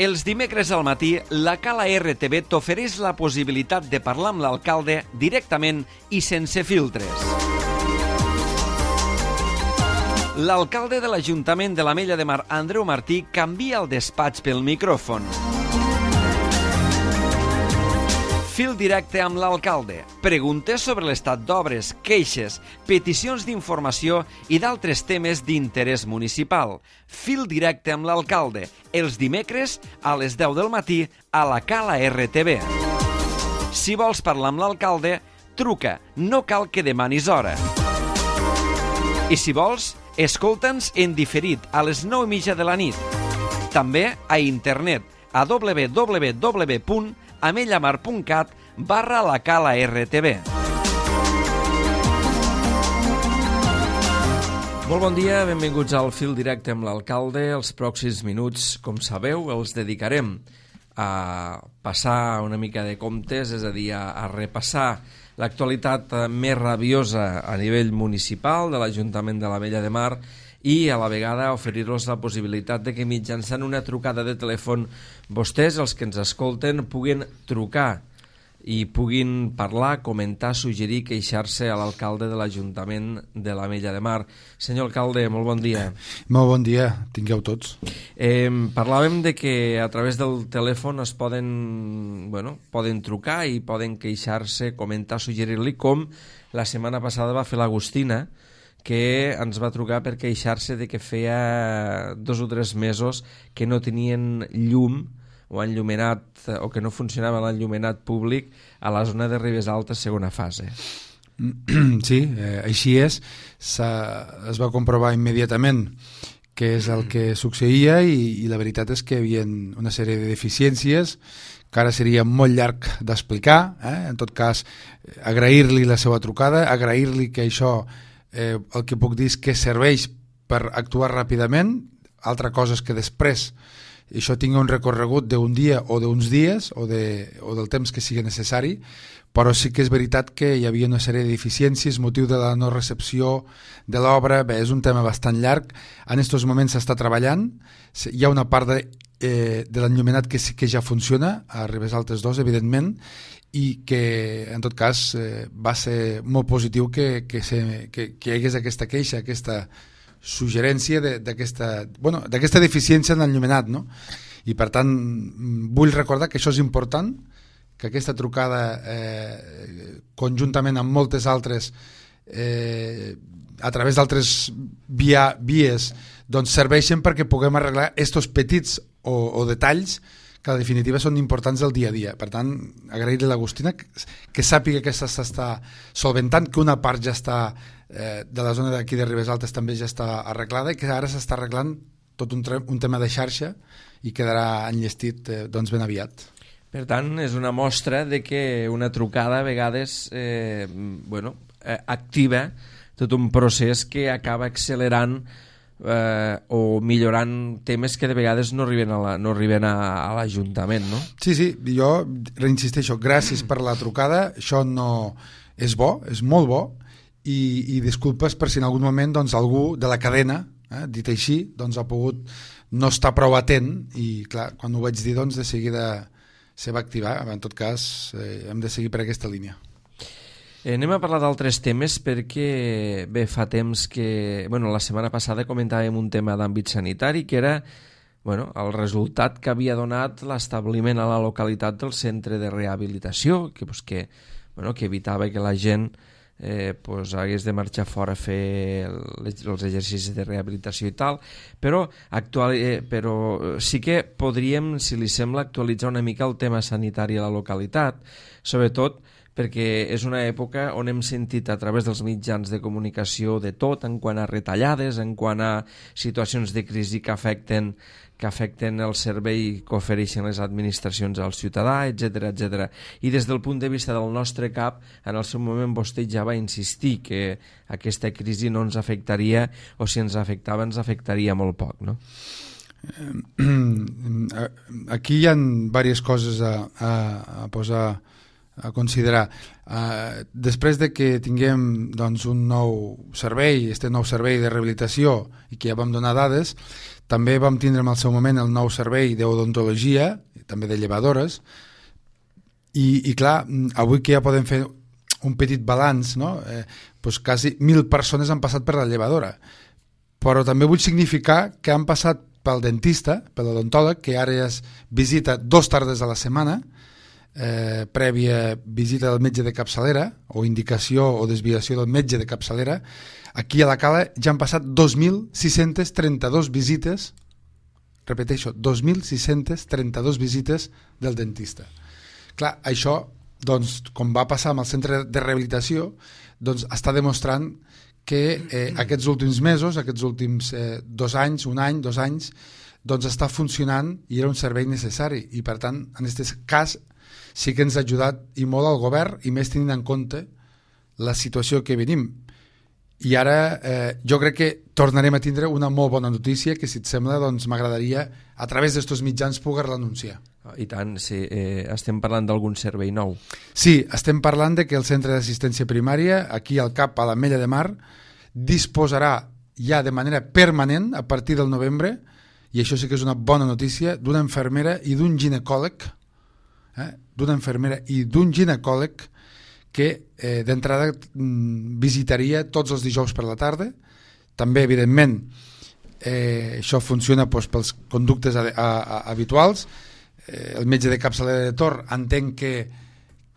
Els dimecres al matí, la Cala RTV t'ofereix la possibilitat de parlar amb l'alcalde directament i sense filtres. L'alcalde de l'Ajuntament de l'Ametlla de Mar, Andreu Martí, canvia el despatx pel micròfon. Fil directe amb l'alcalde. Preguntes sobre l'estat d'obres, queixes, peticions d'informació i d'altres temes d'interès municipal. Fil directe amb l'alcalde. Els dimecres a les 10 del matí a la Cala RTV. Si vols parlar amb l'alcalde, truca. No cal que demanis hora. I si vols, escolta'ns en diferit a les 9:30 de la nit. També a internet a www.amellamar.cat/la Cala RTV. Molt bon dia, benvinguts al Fil Directe amb l'alcalde. Els pròxims minuts, com sabeu, els dedicarem a passar una mica de comptes, és a dir, a repassar l'actualitat més rabiosa a nivell municipal de l'Ajuntament de l'Ametlla de Mar i a la vegada oferir-los la possibilitat de que mitjançant una trucada de telèfon vostès, els que ens escolten, puguin trucar i puguin parlar, comentar, suggerir, queixar-se a l'alcalde de l'Ajuntament de l'Ametlla de Mar. Senyor alcalde, molt bon dia. Molt bon dia, tingueu tots. Parlàvem de que a través del telèfon es poden trucar i poden queixar-se, comentar, suggerir-li, com la setmana passada va fer l'Agustina, que ens va trucar per queixar-se de que feia 2 o 3 mesos que no tenien llum o enllumenat, o que no funcionava l'enllumenat públic a la zona de Ribes Altes, segona fase. Sí, així és. Es va comprovar immediatament què és el que succeïa i la veritat és que hi havia una sèrie de deficiències que ara seria molt llarg d'explicar. En tot cas, agrair-li la seva trucada, agrair-li que això, el que puc dir és que serveix per actuar ràpidament. Altra cosa és que després això tingui un recorregut d'un dia o d'uns dies o del temps que sigui necessari, però sí que és veritat que hi havia una sèrie de deficiències motiu de la no recepció de l'obra. Bé, és un tema bastant llarg. En aquests moments s'està treballant. Hi ha una part de l'enllumenat que sí que ja funciona a Ribes Altes 2, evidentment, i que en tot cas va ser molt positiu que hi hagués aquesta queixa, aquesta suggerència d'aquesta deficiència en l'enllumenat, no? I per tant vull recordar que això és important, que aquesta trucada conjuntament amb moltes altres a través d'altres vies doncs serveixen perquè puguem arreglar estos petits o detalls que en definitiva són importants del dia a dia. Per tant, agrair-li a l'Agustina que sàpiga que s'està solventant, que una part ja està de la zona d'aquí de Ribes Altes també ja està arreglada i que ara s'està arreglant tot un tema de xarxa i quedarà enllestit doncs ben aviat. Per tant, és una mostra de que una trucada a vegades activa tot un procés que acaba accelerant o millorant temes que de vegades no arriben a l'Ajuntament, no? Sí, jo reinsisteixo, gràcies per la trucada, això no és bo, és molt bo, i disculpes per si en algun moment doncs, algú de la cadena, dit així, doncs, ha pogut no estar prou atent i clar, quan ho vaig dir doncs, de seguida se va activar. En tot cas hem de seguir per aquesta línia. Anem a parlar d'altres temes perquè bé, fa temps que la setmana passada comentàvem un tema d'àmbit sanitari que era el resultat que havia donat l'establiment a la localitat del centre de rehabilitació que evitava que la gent hagués de marxar fora a fer els exercicis de rehabilitació i tal, però sí que podríem, si li sembla, actualitzar una mica el tema sanitari a la localitat, sobretot perquè és una època on hem sentit a través dels mitjans de comunicació de tot en quant a retallades, en quant a situacions de crisi que afecten el servei que ofereixen les administracions al ciutadà, etc. I des del punt de vista del nostre CAP, en el seu moment vostè ja va insistir que aquesta crisi no ens afectaria, o si ens afectava, ens afectaria molt poc, no? Aquí hi ha diverses coses a posar a considerar. Després de que tinguem doncs, un nou servei, nou servei de rehabilitació, i que ja vam donar dades, també vam tindre en el seu moment el nou servei d'odontologia, també de llevadores, i clar, avui que ja podem fer un petit balanç, no? Doncs quasi 1.000 persones han passat per la llevadora, però també vull significar que han passat pel dentista, per l'odontòleg, que ara ja es visita 2 tardes a la setmana, prèvia visita del metge de capçalera o indicació o desviació del metge de capçalera. Aquí a la Cala ja han passat 2.632 visites, repeteixo, 2.632 visites del dentista. Clar, això, doncs, com va passar amb el centre de rehabilitació, doncs està demostrant que aquests últims mesos, aquests últims 2 anys, 1 any, 2 anys, doncs està funcionant i era un servei necessari, i per tant, en aquest cas sí que ens ha ajudat i molt al govern, i més tenint en compte la situació que venim. I ara jo crec que tornarem a tindre una molt bona notícia que, si et sembla, doncs m'agradaria a través d'estos mitjans poder-la anunciar. I tant, sí. Estem parlant d'algun servei nou? Sí, estem parlant de que el centre d'assistència primària, aquí al CAP, a l'Ametlla de Mar, disposarà ja de manera permanent, a partir del novembre, i això sí que és una bona notícia, d'una infermera i d'un ginecòleg, que d'entrada visitaria tots els dijous per la tarda. També, evidentment, això funciona doncs, pels conductes habituals. El metge de capçalera de Tor entenc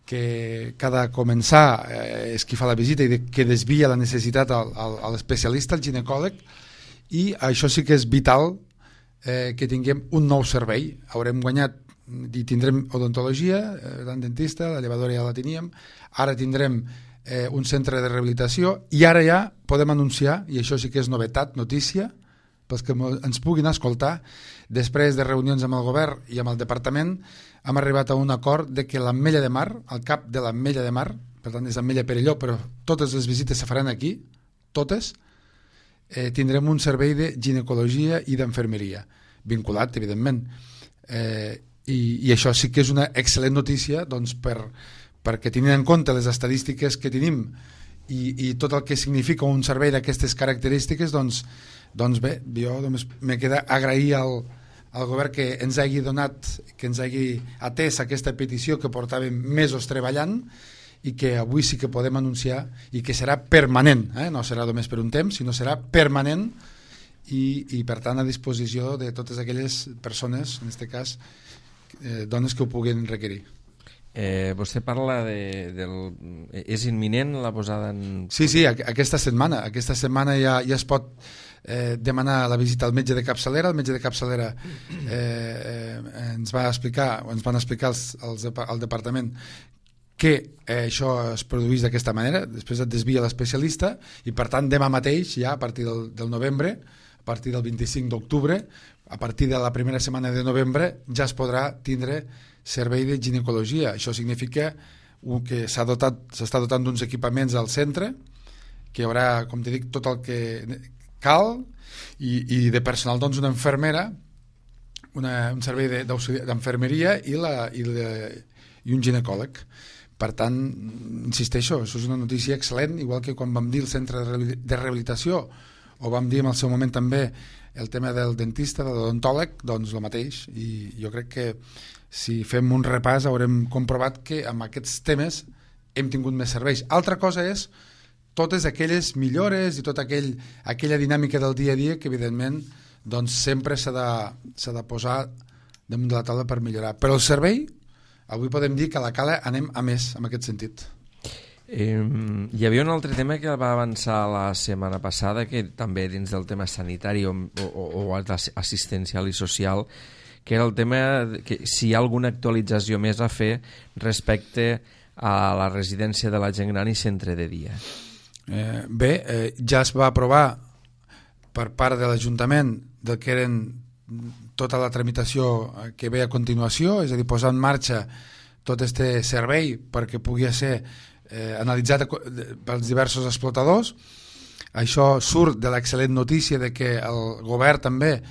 que cada començar és qui fa la visita i que desvia la necessitat a l'especialista, al ginecòleg, i això sí que és vital, que tinguem un nou servei. Haurem guanyat i tindrem odontologia, tant dentista, la llevadora ja la teníem, ara tindrem un centre de rehabilitació, i ara ja podem anunciar, i això sí que és novetat, notícia, pels que ens puguin escoltar, després de reunions amb el govern i amb el departament, hem arribat a un acord de que l'Ametlla de Mar, al cap de l'Ametlla de Mar, per tant és Ametlla Perelló, però totes les visites se faran aquí, totes, tindrem un servei de ginecologia i d'enfermeria, vinculat, evidentment. I això sí que és una excel·lent notícia, doncs, perquè tenint en compte les estadístiques que tenim i tot el que significa un servei d'aquestes característiques, doncs bé, jo només me queda agrair al govern que ens hagi donat, que ens hagi atès aquesta petició que portàvem mesos treballant, i que avui sí que podem anunciar, i que serà permanent, no serà només per un temps, sinó serà permanent, i per tant a disposició de totes aquelles persones, en aquest cas dones que ho puguin requerir. Vostè parla és imminent la posada en... Sí, aquesta setmana ja es pot demanar la visita al metge de capçalera. El metge de capçalera ens van explicar al departament que això es produeix d'aquesta manera, després et desvia l'especialista, i per tant demà mateix, ja a partir del novembre, a partir del 25 d'octubre, a partir de la primera setmana de novembre, ja es podrà tindre servei de ginecologia. Això significa que s'està dotant d'uns equipaments al centre, que hi haurà, com te dic, tot el que cal, i de personal, doncs, una infermera, un servei d'enfermeria i un ginecòleg. Per tant, insisteixo, això és una notícia excel·lent, igual que quan vam dir el centre de rehabilitació, o vam dir en el seu moment també el tema del dentista, de l'odontòleg, doncs el mateix. I jo crec que si fem un repàs haurem comprovat que amb aquests temes hem tingut més serveis. Altra cosa és totes aquelles millores i tota aquella dinàmica del dia a dia que, evidentment, doncs sempre s'ha de posar damunt de la taula per millorar. Però el servei, avui podem dir que a la Cala anem a més en aquest sentit. Hi havia un altre tema que va avançar la setmana passada, que també dins del tema sanitari o assistencial i social, que era el tema que si hi ha alguna actualització més a fer respecte a la residència de la gent gran i centre de dia. Ja es va aprovar per part de l'Ajuntament del que eren tota la tramitació que ve a continuació, és a dir, posar en marxa tot aquest servei perquè pugui ser analitzat pels diversos explotadors. Això surt de l'excel·lent notícia de que el govern també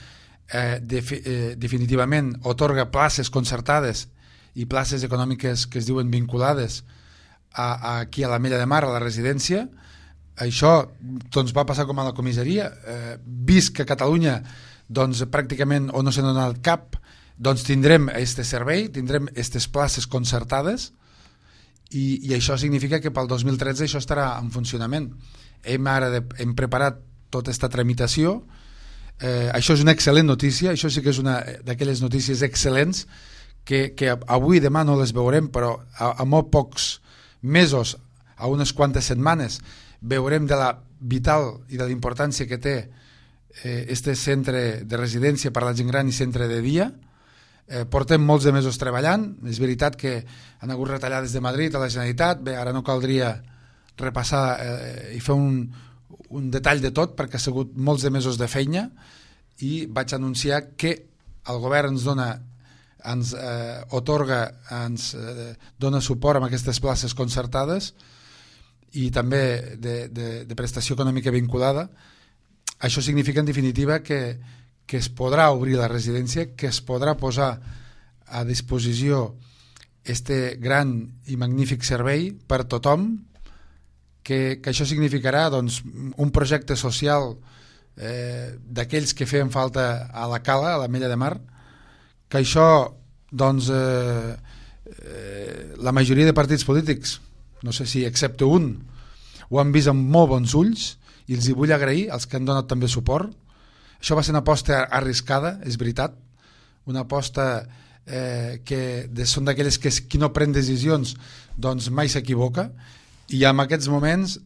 definitivament otorga places concertades i places econòmiques que es diuen vinculades aquí a l'Ametlla de Mar, a la residència. Això doncs, va passar com a la comissaria, vist que a Catalunya doncs, pràcticament o no se n'ha donat cap, doncs tindrem aquest servei, tindrem aquestes places concertades i això significa que pel 2013 això estarà en funcionament. Hem preparat tota aquesta tramitació. Això és una excel·lent notícia, això sí que és una d'aquelles notícies excel·lents que avui i demà no les veurem, però a molt pocs mesos, a unes quantes setmanes, veurem de la vital i de la importància que té este centre de residència per a la gent gran i centre de dia. Portem molts de mesos treballant, és veritat que han hagut retallades de Madrid a la Generalitat, bé, ara no caldria repassar i fer un detall de tot perquè ha sigut molts de mesos de feina i vaig anunciar que el govern ens dona suport amb aquestes places concertades i també de prestació econòmica vinculada. Això significa en definitiva que es podrà obrir la residència, que es podrà posar a disposició este gran i magnífic servei per tothom, que això significarà doncs, un projecte social d'aquells que feien falta a la Cala, a l'Ametlla de Mar, que això doncs, la majoria de partits polítics, no sé si excepte un, ho han vist amb molt bons ulls i els hi vull agrair als que han donat també suport. Això va ser una aposta arriscada, és veritat, una aposta que són d'aquelles que qui no pren decisions doncs mai s'equivoca, i en aquests moments,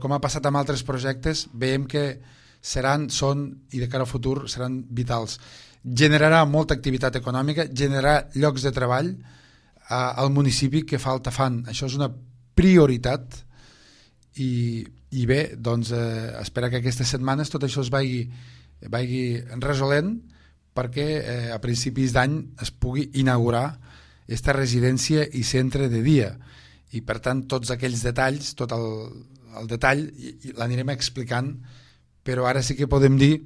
com ha passat amb altres projectes, veiem que són i de cara al futur seran vitals. Generarà molta activitat econòmica, generarà llocs de treball al municipi que falta fan. Això és una prioritat i bé, doncs espera que aquestes setmanes tot això es vagi resolent perquè a principis d'any es pugui inaugurar aquesta residència i centre de dia, i per tant tots aquells detalls, tot el detall l'anirem explicant, però ara sí que podem dir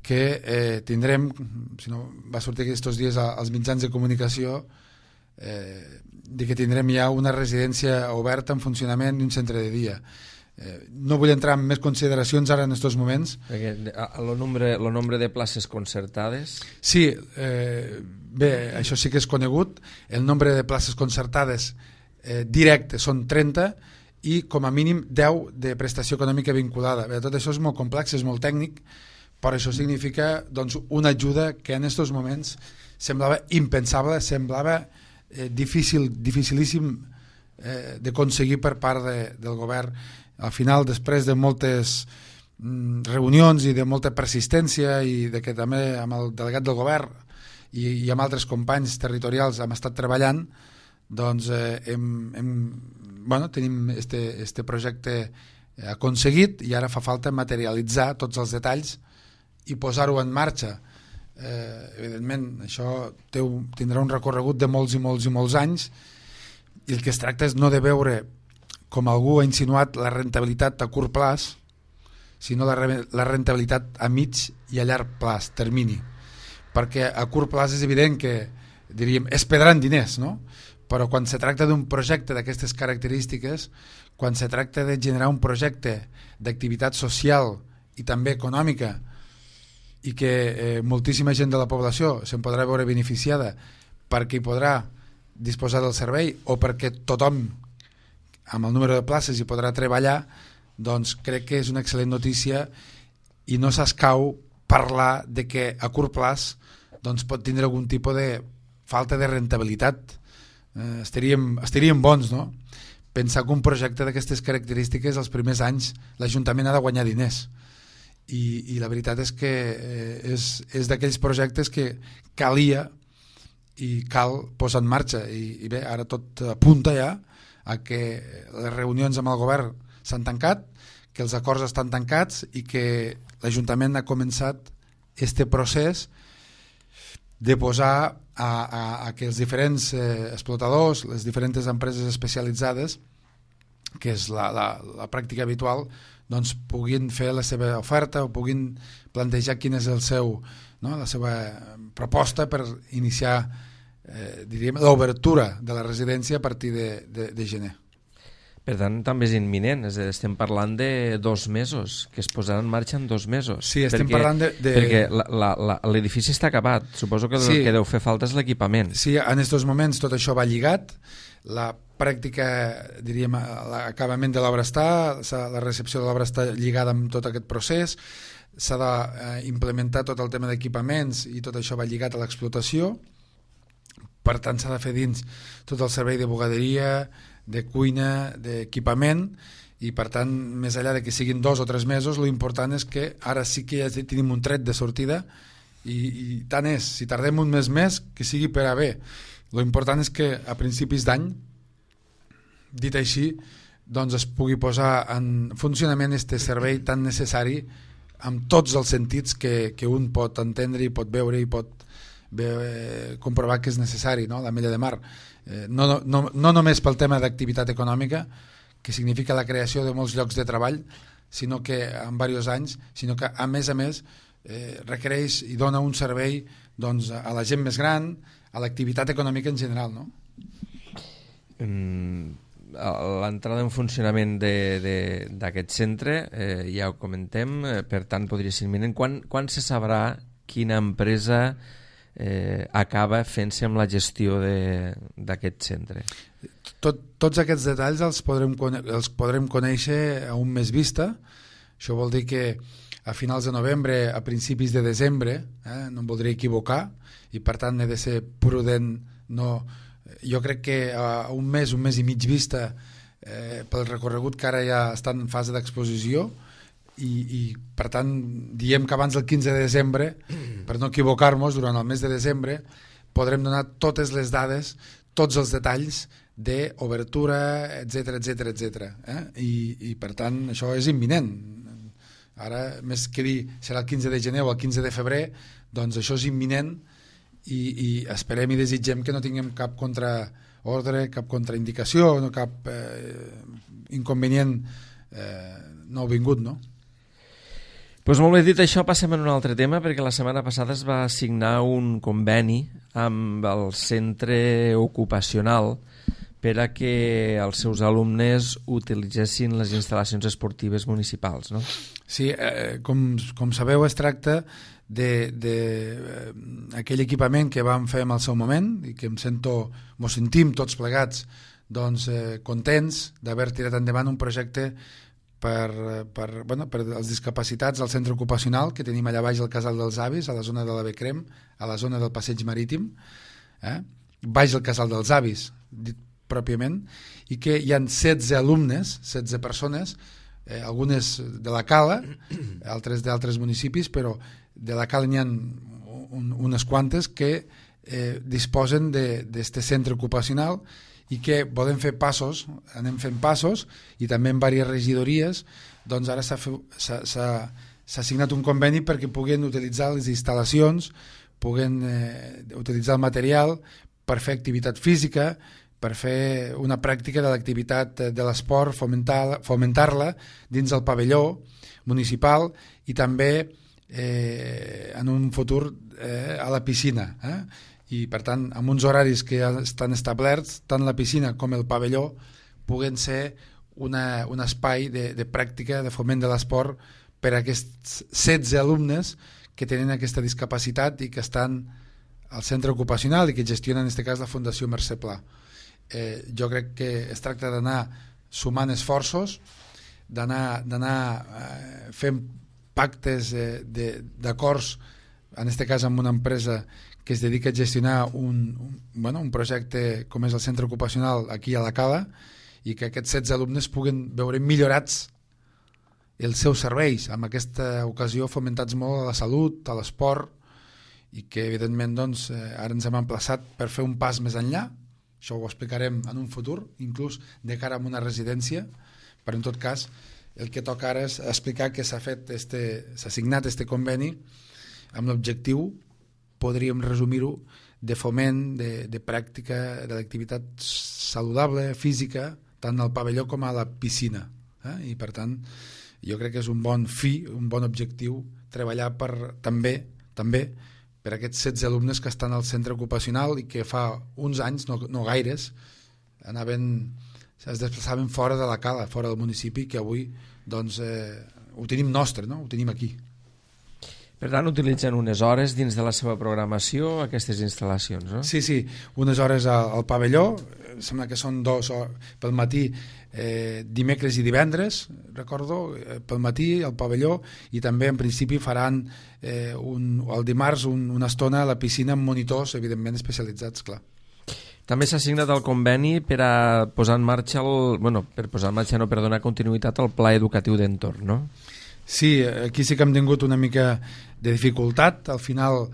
que tindrem, si no va sortir aquests dies als mitjans de comunicació, de que tindrem ja una residència oberta en funcionament i un centre de dia. No vull entrar en més consideracions ara en aquests moments. El nombre de places concertades? Sí, bé, això sí que és conegut. El nombre de places concertades directes són 30 i com a mínim 10 de prestació econòmica vinculada. Bé, tot això és molt complex, és molt tècnic, però això significa doncs, una ajuda que en aquests moments semblava impensable, semblava dificilíssim d'aconseguir per part del govern. Al final, després de moltes reunions i de molta persistència i de que també amb el delegat del govern i amb altres companys territorials hem estat treballant, doncs tenim este projecte aconseguit i ara fa falta materialitzar tots els detalls i posar-ho en marxa. Evidentment, això tindrà un recorregut de molts i molts i molts anys i el que es tracta és no de veure, com algú ha insinuat, la rentabilitat a curt plaç, sinó la rentabilitat a mig i a llarg plaç, termini. Perquè a curt plaç és evident que, diríem, es perdran diners, no? Però quan se tracta d'un projecte d'aquestes característiques, quan se tracta de generar un projecte d'activitat social i també econòmica i que moltíssima gent de la població se'n podrà veure beneficiada perquè hi podrà disposar del servei o perquè tothom amb el número de places hi podrà treballar, doncs crec que és una excel·lent notícia i no s'escau parlar de que a curt plaç doncs, pot tindre algun tipus de falta de rentabilitat. Estaríem bons, no? Pensar que un projecte d'aquestes característiques els primers anys l'Ajuntament ha de guanyar diners i la veritat és que és d'aquells projectes que calia i cal posar en marxa i bé, ara tot apunta ja a que les reunions amb el govern s'han tancat, que els acords estan tancats i que l'Ajuntament ha començat este procés de posar a que els diferents explotadors, les diferents empreses especialitzades, que és la pràctica habitual, doncs puguin fer la seva oferta o puguin plantejar quina és la seva proposta per iniciar diríem, l'obertura de la residència a partir de gener. Per tant, també és imminent, estem parlant de 2 mesos, que es posaran en marxa en 2 mesos. Sí, estem parlant de... Perquè l'edifici està acabat, suposo que el que deu fer falta és l'equipament. Sí, en aquests moments tot això va lligat, la pràctica, diríem, l'acabament de l'obra està, la recepció de l'obra està lligada amb tot aquest procés, s'ha d'implementar tot el tema d'equipaments i tot això va lligat a l'explotació, per tant s'ha de fer dins tot el servei de bugaderia, de cuina, d'equipament, i per tant, més enllà de que siguin 2 o 3 mesos, l'important és que ara sí que ja tenim un tret de sortida i tant és, si tardem un mes més, que sigui per a bé. L'important és que a principis d'any, dit així, doncs es pugui posar en funcionament este servei tan necessari amb tots els sentits que un pot entendre i pot veure i pot comprovar que és necessari, no? L'Ametlla de Mar, no només pel tema d'activitat econòmica, que significa la creació de molts llocs de treball, sinó que en diversos anys, sinó que a més requereix i dona un servei doncs, a la gent més gran, a l'activitat econòmica en general, no? L'entrada en funcionament d'aquest centre, ja ho comentem, per tant podria ser imminent. Quan se sabrà quina empresa acaba fent-se amb la gestió d'aquest centre? Tots aquests detalls els podrem conèixer a un mes vista. Això vol dir que a finals de novembre, a principis de desembre, no em voldria equivocar, i per tant he de ser prudent. Jo crec que a un mes i mig vista, pel recorregut que ara ja està en fase d'exposició, i per tant diem que abans del 15 de desembre, per no equivocar-nos, durant el mes de desembre podrem donar totes les dades, tots els detalls d'obertura, etc. I per tant això és imminent. Ara, més que dir serà el 15 de gener o el 15 de febrer, doncs això és imminent, i esperem i desitgem que no tinguem cap contraordre, cap contraindicació, no cap inconvenient no vingut, no? Doncs molt bé, dit això, passem a un altre tema, perquè la setmana passada es va signar un conveni amb el centre ocupacional per a que els seus alumnes utilitzessin les instal·lacions esportives municipals, no? Sí, com sabeu, es tracta d'aquell equipament que vam fer en el seu moment i que ens sentim tots plegats doncs, contents d'haver tirat endavant un projecte per als discapacitats al centre ocupacional que tenim allà baix al Casal dels Avis, a la zona de la Becrem, a la zona del Passeig Marítim, baix al Casal dels Avis, dit pròpiament, i que hi ha 16 alumnes, 16 persones, algunes de la Cala, altres d'altres municipis, però de la Cala n'hi ha unes quantes que disposen d'aquest centre ocupacional i que volem fer passos, anem fent passos, i també en diverses regidories, doncs ara s'ha signat un conveni perquè puguen utilitzar les instal·lacions, puguen utilitzar el material per fer activitat física, per fer una pràctica de l'activitat de l'esport, fomentar-la dins el pavelló municipal i també en un futur a la piscina, i per tant amb uns horaris que ja estan establerts, tant la piscina com el pavelló puguen ser un espai de pràctica, de foment de l'esport per a aquests 16 alumnes que tenen aquesta discapacitat i que estan al centre ocupacional i que gestionen en aquest cas la Fundació Mercè Pla. Jo crec que es tracta d'anar sumant esforços, d'anar fent pactes d'acords, en aquest cas amb una empresa que es dedica a gestionar un projecte com és el centre ocupacional aquí a la Cala, i que aquests 16 alumnes puguen veure millorats els seus serveis, amb aquesta ocasió fomentats molt a la salut, a l'esport, i que evidentment doncs, ara ens hem emplaçat per fer un pas més enllà. Això ho explicarem en un futur, inclús de cara a una residència, però en tot cas el que toca ara és explicar que s'ha signat este conveni amb l'objectiu, podríem resumir-ho, de foment, de pràctica de l'activitat saludable, física, tant al pavelló com a la piscina. I per tant, jo crec que és un bon fi, un bon objectiu, treballar també per aquests 16 alumnes que estan al centre ocupacional i que fa uns anys, no gaires, es desplaçaven fora de la cala, fora del municipi, que avui doncs, ho tenim nostre, no? Ho tenim aquí. Per tant, utilitzen unes hores dins de la seva programació aquestes instal·lacions, no? Sí, unes hores al pavelló, sembla que són 2 hores pel matí, dimecres i divendres, recordo, pel matí al pavelló, i també en principi faran el dimarts una estona a la piscina amb monitors, evidentment especialitzats, clar. També s'ha signat el conveni per a posar en marxa per donar continuïtat al pla educatiu d'entorn, no? Sí, aquí sí que hem tingut una mica de dificultat. Al final,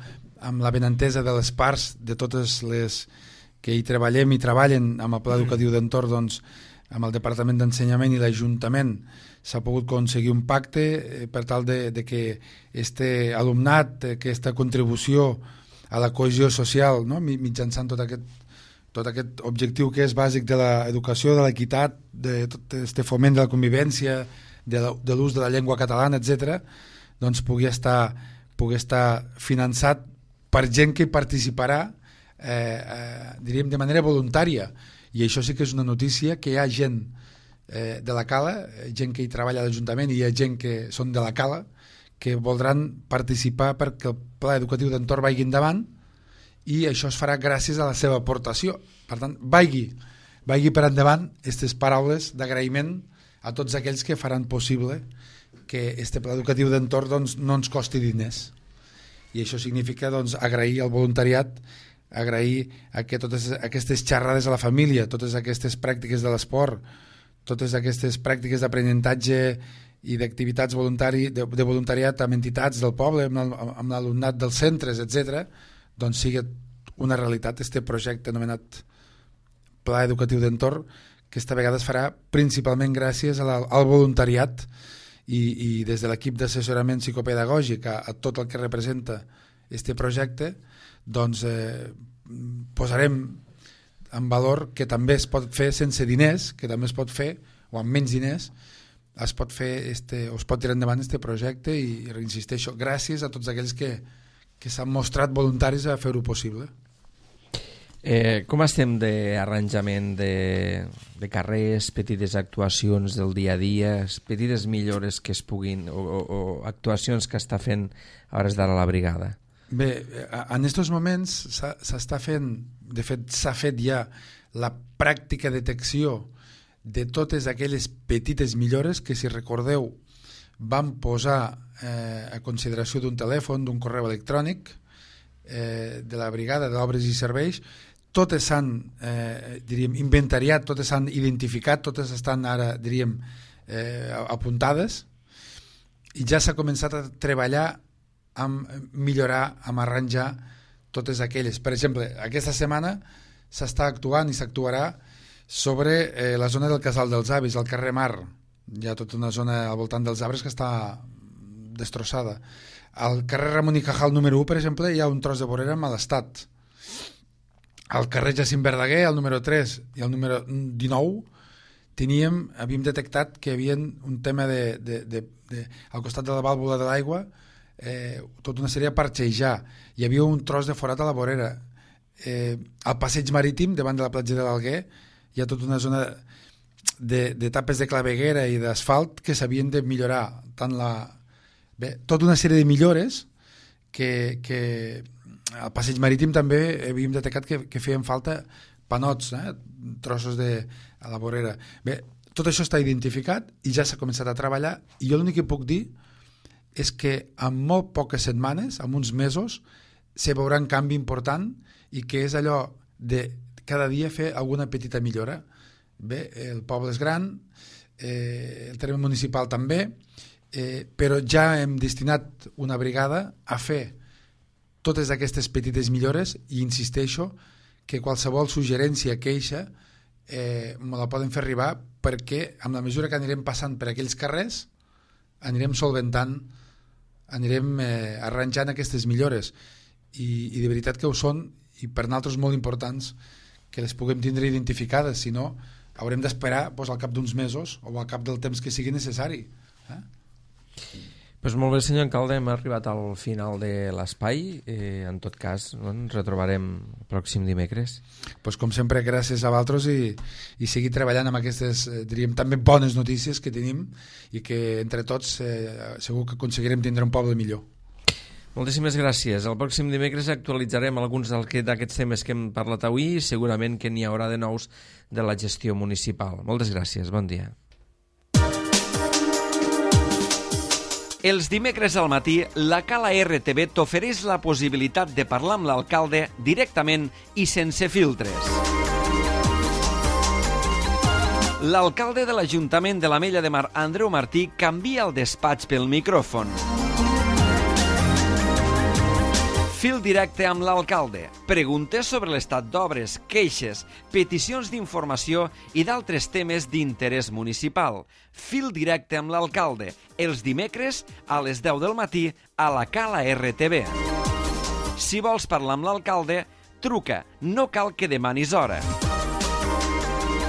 amb la benentesa de les parts, de totes les que hi treballem i treballen amb el pla educatiu d'entorn, doncs, amb el Departament d'Ensenyament i l'Ajuntament s'ha pogut aconseguir un pacte per tal de que este alumnat, aquesta contribució a la cohesió social, no? Mitjançant tot aquest objectiu que és bàsic de l'educació, de l'equitat, de tot este foment de la convivència, de l'ús de la llengua catalana, etc., doncs pugui estar finançat per gent que hi participarà, diríem, de manera voluntària. I això sí que és una notícia, que hi ha gent de la cala, gent que hi treballa a l'Ajuntament, i hi ha gent que són de la cala, que voldran participar perquè el pla educatiu d'entorn vagi endavant, i això es farà gràcies a la seva aportació. Per tant, vagi per endavant aquestes paraules d'agraïment a tots aquells que faran possible que este pla educatiu d'entorn doncs, no ens costi diners. I això significa doncs, agrair al voluntariat, agrair que totes aquestes xerrades a la família, totes aquestes pràctiques de l'esport, totes aquestes pràctiques d'aprenentatge i d'activitats de voluntariat amb entitats del poble, amb l'alumnat dels centres, etc., doncs sigui una realitat este projecte anomenat Pla Educatiu d'Entorn, que esta vegada es farà principalment gràcies al voluntariat i des de l'equip d'assessorament psicopedagògic a tot el que representa este projecte, doncs posarem en valor que també es pot fer sense diners, que també es pot fer, o amb menys diners, es pot tirar endavant este projecte, i reinsisteixo, gràcies a tots aquells que s'han mostrat voluntaris a fer-ho possible. Com estem d'arranjament de carrers, petites actuacions del dia a dia, petites millores que es puguin, o actuacions que està fent a hores d'ara la brigada? Bé, en aquests moments s'està fent, de fet s'ha fet ja la pràctica detecció de totes aquelles petites millores que, si recordeu, vam posar a consideració d'un telèfon, d'un correu electrònic de la brigada d'obres i serveis. Totes s'han inventariat, totes s'han identificat, totes estan ara, apuntades, i ja s'ha començat a treballar amb millorar, amb arranjar totes aquelles. Per exemple, aquesta setmana s'està actuant i s'actuarà sobre la zona del Casal dels Avis, al carrer Mar. Hi ha tota una zona al voltant dels arbres que està destrossada. Al carrer Ramon i Cajal número 1, per exemple, hi ha un tros de vorera en mal estat. Al carrer Jacint Verdaguer, al número 3 i al número 19, havíem detectat que hi havia un tema al costat de la vàlvula de l'aigua, tota una sèrie de parxejar. Hi havia un tros de forat a la vorera. Al passeig marítim, davant de la platja de l'Alguer, hi ha tota una zona de tapes de claveguera i d'asfalt que s'havien de millorar. Tota una sèrie de millores que al passeig marítim també havíem detectat que feien falta panots, trossos a la vorera. Bé, tot això està identificat i ja s'ha començat a treballar, i jo l'únic que puc dir és que en molt poques setmanes, en uns mesos, se veurà un canvi important, i que és allò de cada dia fer alguna petita millora. Bé, el poble és gran, el terme municipal també, però ja hem destinat una brigada a fer totes aquestes petites millores, i insisteixo que qualsevol suggerència, queixa, me la poden fer arribar, perquè amb la mesura que anirem passant per aquells carrers anirem solventant, anirem arranjant aquestes millores, i de veritat que ho són, i per nosaltres molt importants que les puguem tindre identificades. Si no, haurem d'esperar al cap d'uns mesos o al cap del temps que sigui necessari. Pues molt bé, senyor alcalde, hem arribat al final de l'espai. En tot cas, ens retrobarem el pròxim dimecres. Pues com sempre, gràcies a vosaltres i seguir treballant amb aquestes, diríem, també bones notícies que tenim i que entre tots segur que aconseguirem tindre un poble millor. Moltíssimes gràcies. El pròxim dimecres actualitzarem alguns d'aquests temes que hem parlat avui i segurament que n'hi haurà de nous de la gestió municipal. Moltes gràcies, bon dia. Els dimecres al matí, la Cala RTV t'ofereix la possibilitat de parlar amb l'alcalde directament i sense filtres. L'alcalde de l'Ajuntament de l'Ametlla de Mar, Andreu Martí, canvia el despatx pel micròfon. Fil directe amb l'alcalde. Preguntes sobre l'estat d'obres, queixes, peticions d'informació i d'altres temes d'interès municipal. Fil directe amb l'alcalde. Els dimecres a les 10 del matí a la Cala RTV. Si vols parlar amb l'alcalde, truca. No cal que demanis hora.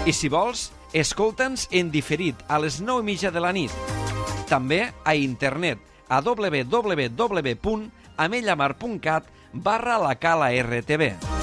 I si vols, escolta'ns en diferit a les 9:30 de la nit. També a internet a www.amellamar.cat/la Cala RTV.